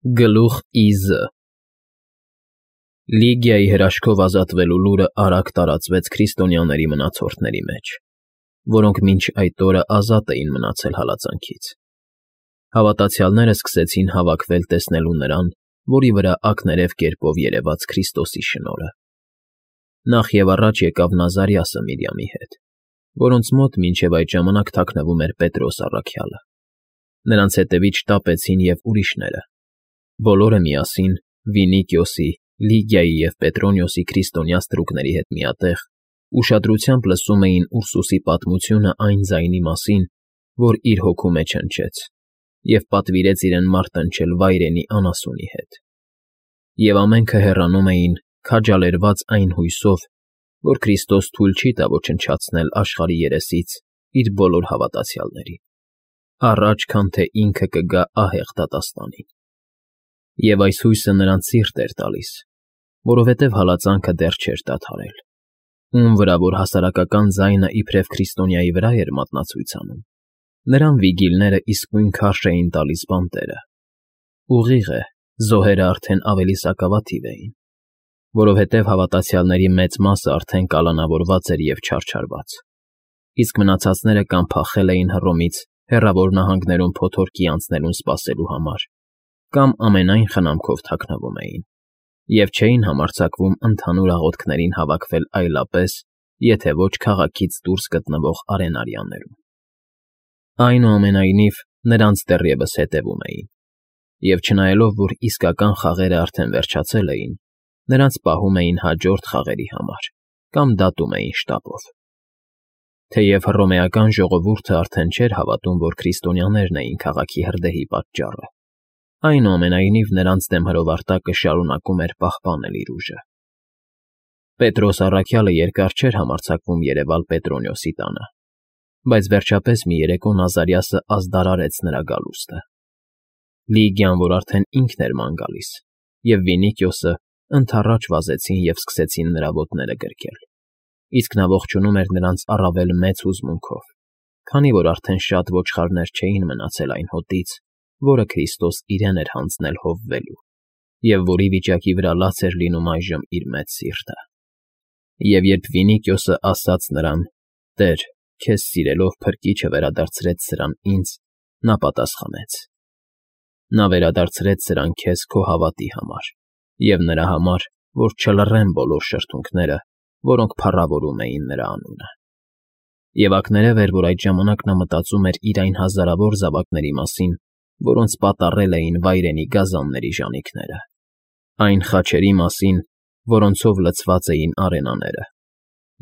Գլուխ Ի.Զ. Լիգիայի հրաշքով ազատվելու լուրը արագ տարածվեց քրիստոնյաների մնացորդների մեջ, որոնք մինչ այդ օրը ազատ էին մնացել հալածանքից։ Հավատացյալները սկսեցին հավաքվել տեսնելու նրան, որի վրա ակներև կերպով երևաց Քրիստոսի շնորհը։ Նախ և առաջ եկավ Նազարիասը Միրյամի հետ, որոնց մոտ մինչև այդ ժամանակ թաքնվում էր Պետրոս առաքյալը։ Նրանց հետևից շտապեցին և ուրիշները։ Բոլորը միասին Վինիկիոսի, Լիգիայի և Պետրոնիոսի քրիստոնյա ստրուկների հետ միատեղ ուշադրությամբ լսում էին Ուրսուսի պատմությունը այն ձայնի մասին, որ իր հոգու մեջ հնչեց, և պատվիրեց իրեն մարտնչել վայրենի անասունի հետ։ Եվ ամենքը հեռանում էին, քաջալերված այն հույսով, որ Քրիստոս թույլ չի տա ոչնչացնել աշխարհի երեսից իր բոլոր հավատացյալներին, առաջ քան թե ինքը կգա ահեղ դատաստանին։ Եվ այս հույսը նրանց սիրտ էր տալիս, որովհետև հալածանքը դեռ չէր դադարել։ Ում վրա որ հասարակական ձայնը իբրև քրիստոնյայի վրա էր մատնացույց անում, նրան վիգիլները իսկույն քարշ էին տալիս բանտերը։ Ուղիղ է, զոհերը արդեն ավելի սակավաթիվ էին, որովհետև հավատացյալների մեծ մասը արդեն կալանավորված էր և չարչարված, իսկ մնացածները կամ փախել էին Հռոմից հեռավոր նահանգներում փոթորկի անցնելուն սպասելու համար, կամ ամենայն խնամքով թաքնվում էին, և չէին համարձակվում ընդհանուր աղոթքներին հավաքվել այլապես, եթե ոչ քաղաքից դուրս գտնվող արենարյաններում։ Այնուամենայնիվ, նրանց դեռևս հետևում էին, և չնայելով, որ իսկական խաղերը արդեն վերջացել էին, նրանց պահում էին հաջորդ խաղերի համար կամ դատում էին շտապով։ Թեև հռոմեական ժողովուրդը արդեն չէր հավատում, որ քրիստոնյաներն էին քաղաքի հրդեհի պատճառը, այնուամենայնիվ նրանց դեմ հրովարտակը շարունակում էր պահպանել իր ուժը։ Պետրոս առաքյալը երկար չէր համարձակվում երևալ Պետրոնիոսի տանը, բայց վերջապես մի երեկո Նազարիասը ազդարարեց նրա գալուստը։ Լիգիան, որ արդեն ինքն էր ման գալիս, և Վինիկիոսը ընդառաջ վազեցին և սկսեցին նրա ոտները գրկել, իսկ նա ողջունում էր նրանց առավել մեծ հուզմունքով, քանի որ արդեն շատ ոչխարներ չէին մնացել այն հոտից, որը Քրիստոս իրեն էր հանձնել հովվելու, և որի վիճակի վրա լաց էր լինում այժմ իր մեծ սիրտը։ Եվ երբ Վինիկիոսը ասաց նրան. «Տեր, քեզ սիրելով փրկիչը վերադարձրեց սրան ինձ», նա պատասխանեց. «Նա վերադարձրեց սրան քեզ քո հավատի համար և նրա համար, որ չլռեն բոլոր շրթունքները, որոնք փառավորում էին նրա անունը»։ Եվ ակներև էր, որ այդ ժամանակ նա մտածում էր իր այն հազարավոր զավակների մասին, որոնց պատառել էին վայրենի գազանների ժանիքները, այն խաչերի մասին, որոնցով լցված էին արենաները,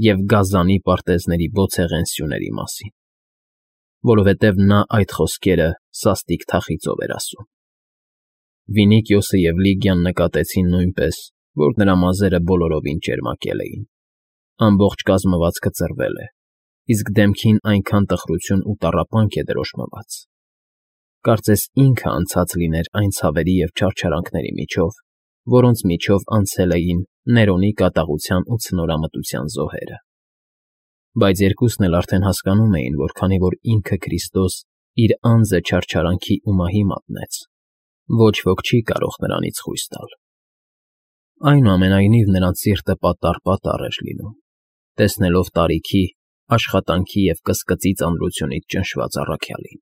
և գազանի պարտեզների բոցեղեն սյուների մասին, որովհետև նա այդ խոսքերը սաստիկ թախիծով էր ասում։ Վինիկիոսը և Լիգիան նկատեցին նույնպես, որ նրա մազերը բոլորովին ճերմակել էին, ամբողջ կազմվածքը ծռվել է, իսկ դեմքին այնքան տխրություն ու տառապանք է դրոշմված, կարծես ինքը անցած լիներ այն ցավերի և չարչարանքների միջով, որոնց միջով անցել էին Ներոնի կատաղության ու ցնորամտության զոհերը։ Բայց երկուսն էլ արդեն հասկանում էին, որ քանի որ ինքը Քրիստոս իր անձը չարչարանքի ու մահի մատնեց, ոչ ոք չի կարող նրանից խույս տալ։ Այնուամենայնիվ նրանց սիրտը պատառ էր լինում, տեսնելով տարիքի, աշխատանքի և կսկծի ծանրությունից ճնշված առաքյալին։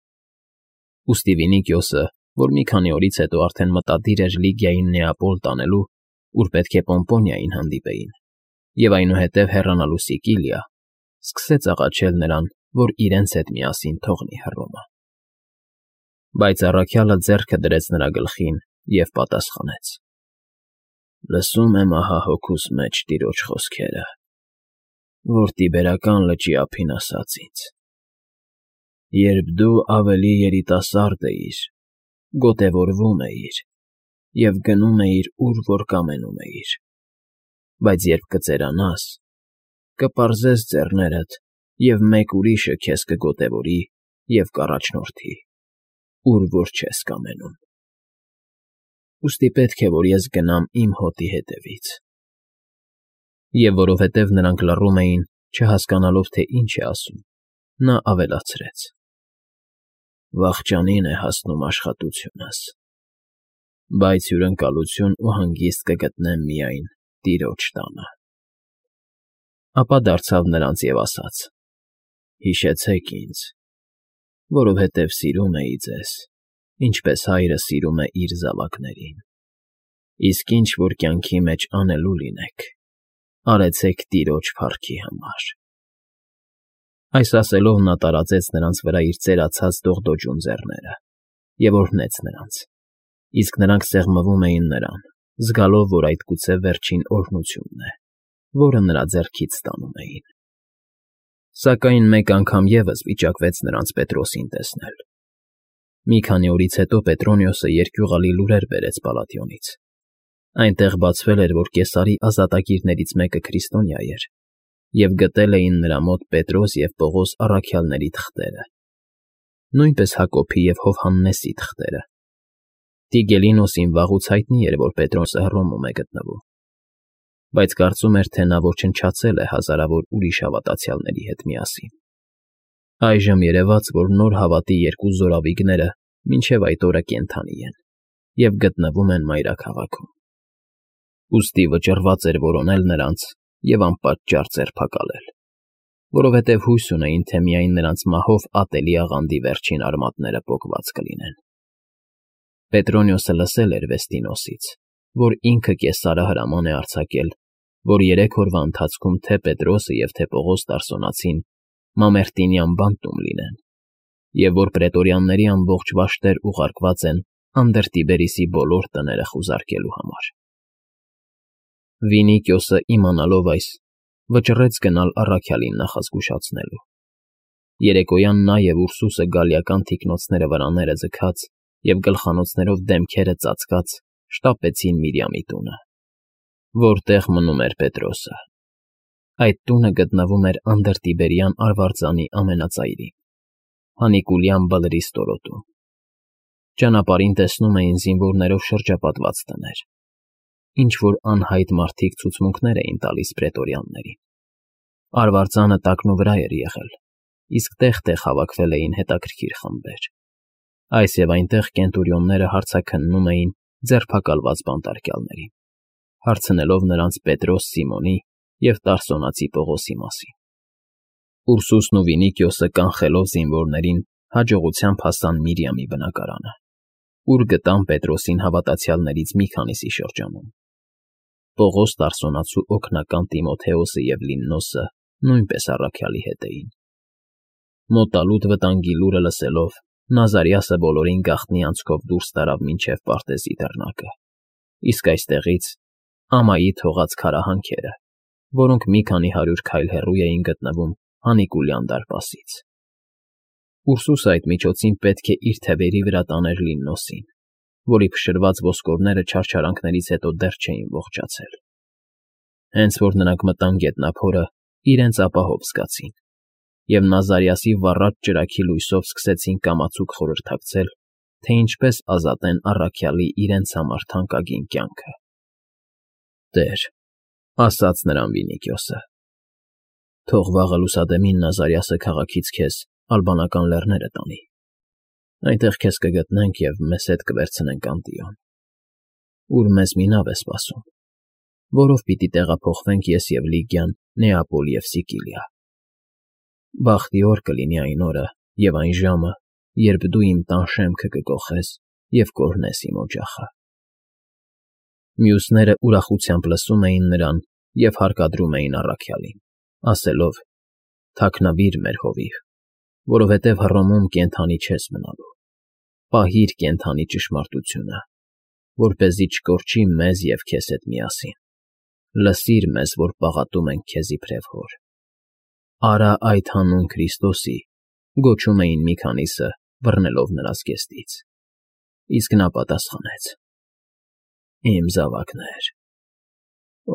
Ուստի Վինիկիոսը, որ մի քանի օրից հետո արդեն մտադիր էր Լիգիային Նեապոլ տանելու, ուր պետք է Պոմպոնիային հանդիպեին, և այնուհետև հեռանալու Սիկիլիա, սկսեց աղաչել նրան, որ իրենց հետ միասին թողնի Հռոմը։ Բայց առաքյալը ձեռքը դրեց նրա գլխին և պատասխանեց. «Լսում եմ ահա հոգուս մեջ Տիրոջ խոսքերը, որ Տիբերական լճի ափին ասաց ինձ. «Երբ դու ավելի երիտասարդ էիր, գոտևորվում էիր և գնում էիր, ուր որ կամենում էիր, բայց երբ կծերանաս, կպարզես ձեռներդ, և մեկ ուրիշը քեզ կգոտևորի և կառաջնորդի, ուր որ չես կամենում։ Ուստի պետք է, որ ես գնամ իմ հոտի հետևից»։ Եվ որովհետև նրանք լռում էին, չհասկանալով, թե ինչ է ասում, նա ավելացրեց. «Վախճանին է հասնում աշխատությունս, բայց հյուրընկալություն ու հանգիստ կգտնեմ միայն տիրոջ տանը։ Ապա դարձավ նրանց և ասաց. հիշեցեք ինձ, որովհետև սիրում էի ձեզ, ինչպես հայրը սիրում է իր զավակներին։ Իսկ ինչ որ կյանքի մեջ անելու լինեք, արեցեք տիրոջ փառքի համար։ Այս ասելով նա տարածեց նրանց վրա իր ծերացած դողդոջուն ձեռները և օրհնեց նրանց, իսկ նրանք սեղմվում էին նրան, զգալով, որ այդ գուցե վերջին օրհնությունն է, որը նրա ձեռքից ստանում էին։ Սակայն մեկ անգամ ևս վիճակվեց նրանց Պետրոսին տեսնել։ Մի քանի օրից հետո Պետրոնիոսը երկյուղալի լուրեր բերեց Պալատիոնից։ Այնտեղ բացվել էր, որ Կեսարի ազատագիրներից մեկը քրիստոնյա էր, և գտել էին նրա մոտ Պետրոս և Պողոս առաքյալների թղթերը, նույնպես Հակոբի և Հովհաննեսի թղթերը։ Տիգելինոսին վաղուց հայտնի էր, որ Պետրոսը Հռոմում է գտնվում, բայց կարծում էր, թե նա ոչնչացել է հազարավոր ուրիշ հավատացյալների հետ միասին։ Այժմ երևաց, որ նոր հավատի երկու զորավիգները մինչև այդ օրը կենդանի են և գտնվում են մայրաքաղաքում։ Ուստի վճռված էր որոնել նրանց և անպատճառ ձերբակալել, որովհետև հույս ունեին, թե միայն նրանց մահով ատելի աղանդի վերջին արմատները պոկված կլինեն։ Պետրոնիոսը լսել էր Վեստինոսից, որ ինքը Կեսարը հրաման է արձակել, որ 3 օրվա ընթացքում թե Պետրոսը և թե Պողոս Տարսոնացին Մամերտինյան բանտում լինեն, և որ պրետորյանների ամբողջ վաշտեր ուղարկված են Անդրտիբերիսի բոլոր տները խուզարկելու համար։ Վինիկիոսը, իմանալով այս, վճռեց գնալ առաքյալին նախազգուշացնելու։ Երեկոյան նա և Ուրսուսը գալիական թիկնոցները վրաները ձգած և գլխանոցներով դեմքերը ծածկած շտապեցին Միրիամի տունը, որտեղ մնում էր Պետրոսը։ Այդ տունը գտնվում էր Անդրտիբերյան արվարձանի ամենածայրին, Հանիկուլյան բլրի ստորոտում։ Ճանապարհին տեսնում էին զինվորներով շրջապատված տներ, ինչ-որ անհայտ մարդիկ ցուցմունքներ էին տալիս պրետորյաններին։ Արվարձանը տակնուվրա էր եղել, իսկ տեղ-տեղ հավաքվել էին հետաքրքիր խմբեր։ Այս և այնտեղ կենտուրիոնները հարցաքննում էին ձերբակալված բանտարկյալներին, հարցնելով նրանց Պետրոս Սիմոնի և Տարսոնացի Պողոսի մասին։ Ուրսուսն ու Վինիկիոսը կանխելով զինվորներին հաջողությամբ հասան Միրիամի բնակարանը, ուր գտան Պետրոսին հավատացյալներից մի քանիսի շրջանում։ Պողոս Տարսոնացու օգնական Տիմոթեոսը և Լիննոսը նույնպես առաքյալի հետ էին։ Մոտալուտ վտանգի լուրը լսելով, Նազարիասը բոլորին գաղտնի անցքով դուրս տարավ մինչև Պարտեզի դռնակը, իսկ այստեղից ամայի թողած քարահանքերը, որոնք մի քանի 100 քայլ հեռու էին գտնվում Հանիկուլյան դարպասից։ Ուրսուսը այդ միջոցին պետք է իր թևերի վրա տաներ Լիննոսին, որի փշրված ոսկորները չարչարանքներից հետո դեռ չէին ողջացել։ Հենց որ նրանք մտան գետնափորը, իրենց ապահով զգացին, և Նազարիասի վառած ճրագի լույսով սկսեցին կամացուկ խորհրդակցել, թե ինչպես ազատեն առաքյալի իրենց համար թանկագին կյանքը։ «Տեր,֊ ասաց նրան Վինիկիոսը,֊ թող վաղը լուսադեմին Նազարիասը քաղաքից քեզ Ալբանական լեռները տանի։ Այնտեղ քեզ կգտնենք և մեզ հետ կվերցնենք Անտիոն, ուր մեզ մի նավ է սպասում, որով պիտի տեղափոխվենք ես և Լիգիան Նեապոլ և Սիկիլիա։ Բախտի օր կլինի այն օրը և այն ժամը, երբ դու իմ տան շեմքը կկոխես և կօրհնես իմ օջախը»։ Մյուսները ուրախությամբ լսում էին նրան և հարկադրում էին առաքյալին, ասելով. «Թաքնվիր մեր հովիվ, որովհետև Հռոմում կենդանի չես մնալու։ Պահիր կենդանի ճշմարտությունը, որպեսզի չկորչի մեզ և քեզ հետ միասին։ Լսիր մեզ, որ պաղատում ենք քեզ իբրև հոր»։ «Արա այդ հանուն Քրիստոսի», գոչում էին մի քանիսը, բռնելով նրա զգեստից։ Իսկ նա պատասխանեց. «Իմ զավակներ,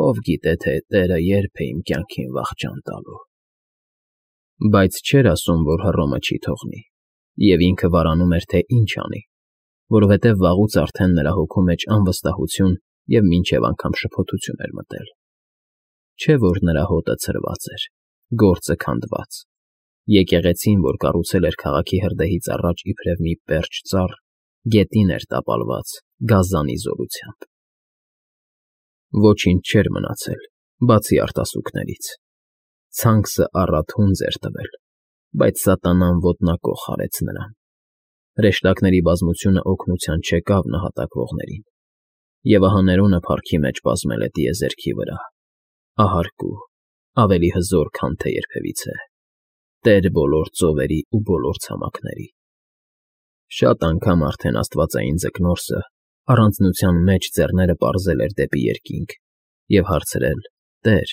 ով գիտե, թե Տերը երբ է իմ կյանքին վախճան տալու»։ Բայց չէր ասում, որ Հռոմը չի թողնի, և ինքը վարանում էր, թե ինչ անի, որովհետև վաղուց արդեն նրա հոգու մեջ անվստահություն և մինչև անգամ շփոթություն էր մտել։ Չէ՞ որ նրա հոտը ցրված էր, գործը քանդված, եկեղեցին, որ կառուցել էր քաղաքի հրդեհից առաջ իբրև մի պերճ ծառ, Գետին էր տապալված գազանի զորությամբ։ Ոչինչ չէր մնացել, բացի արտասուքներից։ Ցանքսը առատ հունձ էր տվել, բայց սատանան ոտնակոխ արեց նրան։ Հրեշտակների բազմությունը օգնության չեկավ նահատակվողներին, և ահա Ներոնը փառքի մեջ բազմել է տիեզերքի վրա, ահարկու, ավելի հզոր, քան թե երբևիցե, Տեր բոլոր ծովերի ու բոլոր ցամաքների։ Շատ անգամ արդեն աստվածային Ձկնորսը առանձնության մեջ ձեռները պարզել էր դեպի երկինք և հարցրել. «Տեր,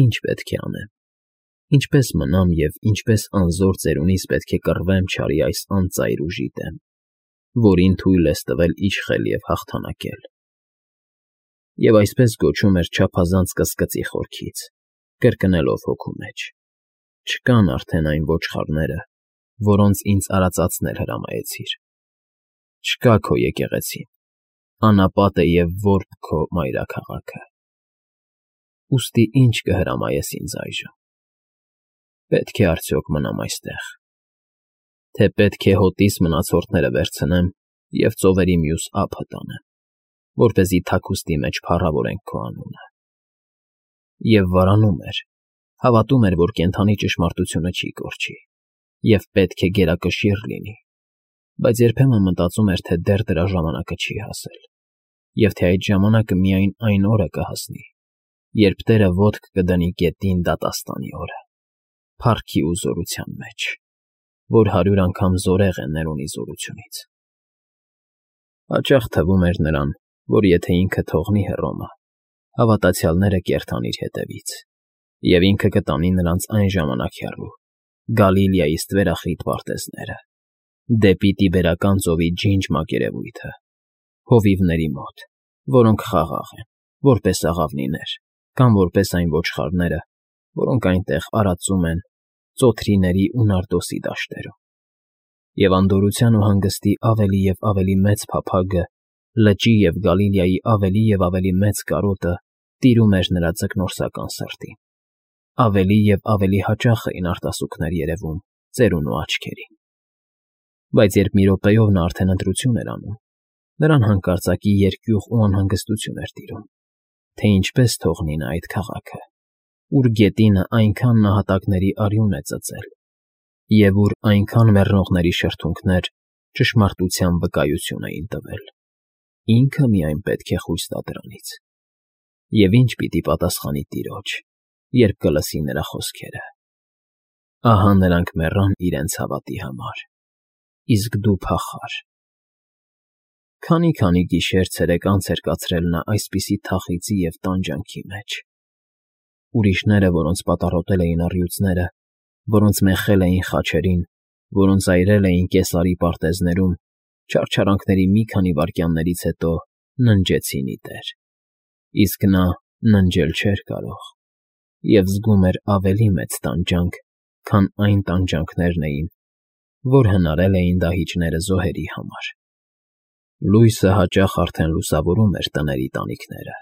ի՞նչ պետք է անեմ, ինչպե՞ս մնամ և ինչպես անզոր ծերունիս պետք է կռվեմ չարի այս անծայր ուժի դեմ, որին թույլ ես տվել իշխել և հաղթանակել»։ Եվ այսպես գոչում էր չափազանց կսկծի խորքից, կրկնելով հոգու մեջ. «Չկան արդեն այն ոչխարները, որոնց ինձ արածացնել հրամայեցիր։ Չկա քո եկեղեցին, անապատ է և որբ քո մայրաքաղաքը։ Ուստի ի՞նչ կհրամայես ինձ այժմ։ Պետք է արդյոք մնամ այստեղ, թե պետք է հոտիս մնացորդները վերցնեմ և ծովերի մյուս ափը տանեմ, որպեսզի թաքուստի մեջ փառավորենք քո անունը»։ Եվ վարանում էր, հավատում էր, որ կենդանի ճշմարտությունը չի կորչի, և պետք է գերակշիռ լինի, բայց երբեմն մտածում էր, թե դեռ դրա ժամանակը չի հասել, և թե այդ ժամանակը միայն այն օրը կհասնի, երբ Տերը ոտք կդնի գետին դատաստանի օրը, փառքի ու զորության մեջ, որ 100 անգամ զորեղ է Ներոնի զորությունից։ Հաճախ թվում էր նրան, որ եթե ինքը թողնի Հռոմը, հավատացյալները կերթան իր հետևից, և ինքը կտանի նրանց այն ժամանակ հեռու, Գալիլեայի ստվերախիտ պարտեզները, դեպի Տիբերական ծովի ջինջ մակերևույթը, հովիվների մոտ, որոնք խաղաղ են, որպես աղավնիներ, կամ որպես այն ոչխարները, որոնք այնտեղ արածում են ծոթրիների ու նարդոսի դաշտերում։ Եվ անդորրության ու հանգստի ավելի և ավելի մեծ փափագը, լճի և Գալիլեայի ավելի և ավելի մեծ կարոտը տիրում էր նրա ձկնորսական սրտին։ Ավելի և ավելի հաճախ էին արտասուքներ երևում ծերունու աչքերին։ Բայց երբ մի րոպեով նա արդեն ընտրություն էր անում, նրան հանկարծակի երկյուղ ու անհանգստություն էր տիրում, թե ինչպես թողնի նա այդ քաղաքը, ուր գետինը այնքան նահատակների արյուն է ծծել, և ուր այնքան մեռնողների շրթունքներ ճշմարտության վկայություն էին տվել։ Ինքը միայն պետք է խույս տա դրանից։ Եվ ինչ պիտի պատասխանի Տիրոջ, երբ կլսի նրա խոսքերը. «Ահա նրանք մեռան իրենց հավատի համար, իսկ դու փախար»։ Քանի գիշեր֊ցերեկ անց էր կացրել նա այսպիսի թախիծի և տանջանքի մեջ։ Ուրիշները, որոնց պատառոտել էին առյուծները, որոնց մեխել էին խաչերին, որոնց այրել էին Կեսարի պարտեզներում, չարչարանքների մի քանի վայրկյաններից հետո ննջեցին ի տեր, իսկ նա ննջել չէր կարող և զգում էր ավելի մեծ տանջանք, քան այն տանջանքներն էին, որ հնարել էին դահիճները զոհերի համար։ Լույսը հաճախ արդեն լուսավորում էր տների տանիքները,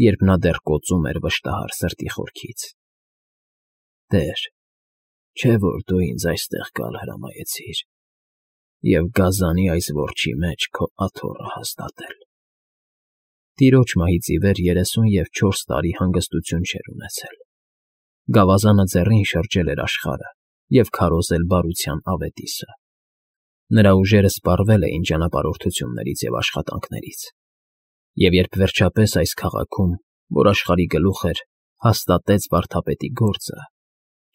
երբ նա դեռ կոծում էր վշտահար սրտի խորքից. «Տեր, չէ՞ որ դու ինձ այստեղ գալ հրամայեցիր և գազանի այս որջի մեջ քո աթոռը հաստատել»։ Տիրոջ մահից ի վեր 34 տարի հանգստություն չէր ունեցել։ Գավազանը ձեռին շրջել էր աշխարհը և քարոզել բարության ավետիսը։ Նրա ուժերը սպառվել էին ճանապարհորդություններից և աշխատանքներից։ Եվ երբ վերջապես այս քաղաքում, որ աշխարհի գլուխ էր, հաստատեց վարդապետի գործը,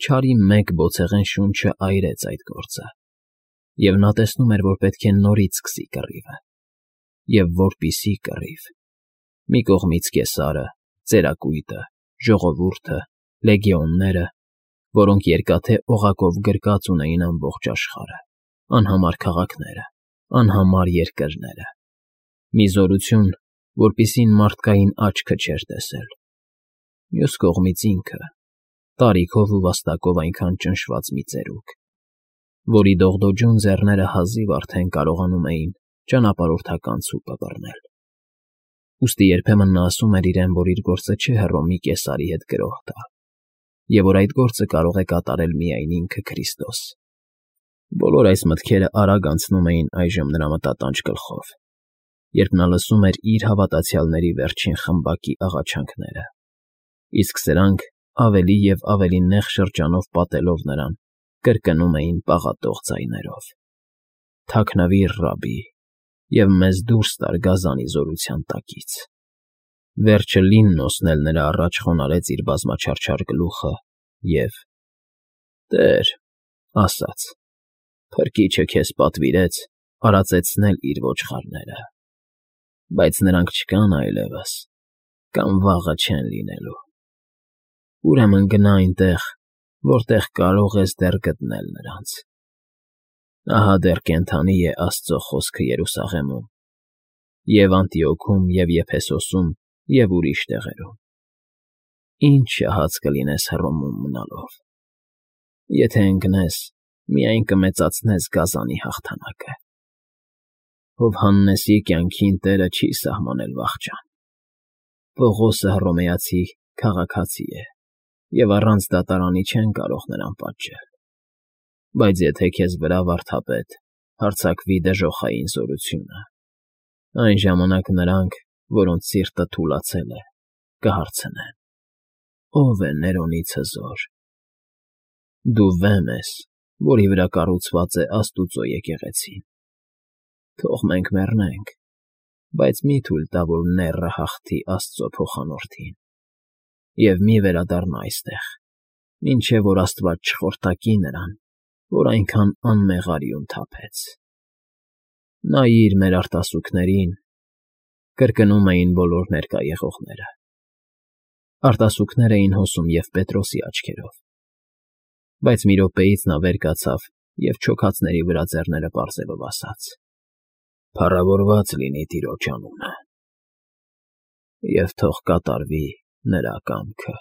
չարի մեկ բոցեղեն շունչը այրեց այդ գործը, և նա տեսնում էր, որ պետք է նորից սկսի կռիվը։ Եվ որպիսի կռիվ, մի կողմից Կեսարը, ծերակույտը, ժողովուրդը, լեգիոնները, որոնք երկաթե օղակով գրկած ունեին ամբողջ աշխարհը, անհամար քաղաքները, անհամար երկրները, մի զորություն, որպիսին մարդկային աչքը չէր տեսել։ Մյուս կողմից ինքը, տարիքով ու վաստակով այնքան ճնշված մի ծերուկ, որի դողդոջուն ձեռները հազիվ արդեն կարողանում էին ճանապարհորդական ցուպը բռնել։ Ուստի երբեմն նա ասում էր իրեն, որ իր գործը չէ Հռոմի Կեսարի հետ գրոհ տալ, և որ այդ գործը կարող է կատարել միայն ինքը Քրիստոս։ Բոլոր այս մտքերը արագ անցնում էին այժմ նրա մտատանջ գլխով, երբ նա լսում էր իր հավատացյալների վերջին խմբակի աղաչանքները, իսկ սրանք, ավելի և ավելի նեղ շրջանով պատելով նրան, կրկնում էին պաղատող ձայներով. «Թաքնվի՛ր, ռաբբի, և մեզ դուրս տար գազանի զորության տակից»։ Վերջը Լիննոսն էլ նրա առաջ խոնարհեց իր բազմաչարչար գլուխը և. «Տեր,֊ ասաց,֊ Փրկիչը քեզ պատվիրեց արածեցնել իր ոչխարները, բայց նրանք չկան այլևս կամ վաղը չեն լինելու։ Ուրեմն գնա այնտեղ, որտեղ կարող ես դեռ գտնել նրանց։ Ահա դեռ կենդանի է Աստծո խոսքը Երուսաղեմում և Անտիոքում և Եփեսոսում և ուրիշ տեղերում։ Ինչ շահած կլինես Հռոմում մնալով։ Եթե ընկնես, միայն կմեծացնես գազանի հաղթանակը։ Ով Հաննեսի կյանքին տերը չի սահմանել վախճան։ Պողոսը Հռոմեացի քաղաքացի է, և առանց դատարանի չեն կարող նրան պատժել։ Բայց եթե քեզ վրա վարդապետ հարձակվի դժոխային զորությունը, այն ժամանակ նրանք, որոնց սիրտը թուլացել է, կհարցնեն. «Ո՞վ է Ներոնից հզոր»։ Դու վեմ ես, որի վրա կառուցված է Աստուծո եկեղեցին։ Թող մենք մեռնենք, բայց մի՛ թույլ տա, որ նեռը հաղթի Աստծո փոխանորդին, և մի՛ վերադառնա այստեղ, մինչև որ Աստված չխորտակի նրան, որ այնքան անմեղարյուն թափեց»։ Նայիր մեր արտասուքներին,֊ կրկնում էին բոլոր ներկա եղողները։ Արտասուքներ էին հոսում և Պետրոսի աչքերով, բայց մի րոպեից նա վեր կացավ և չոքածների վրա ձեռները պարզելով ասաց. «Փառավորված լինի Տիրոջ անունը, և թող կատարվի նրա կամքը»։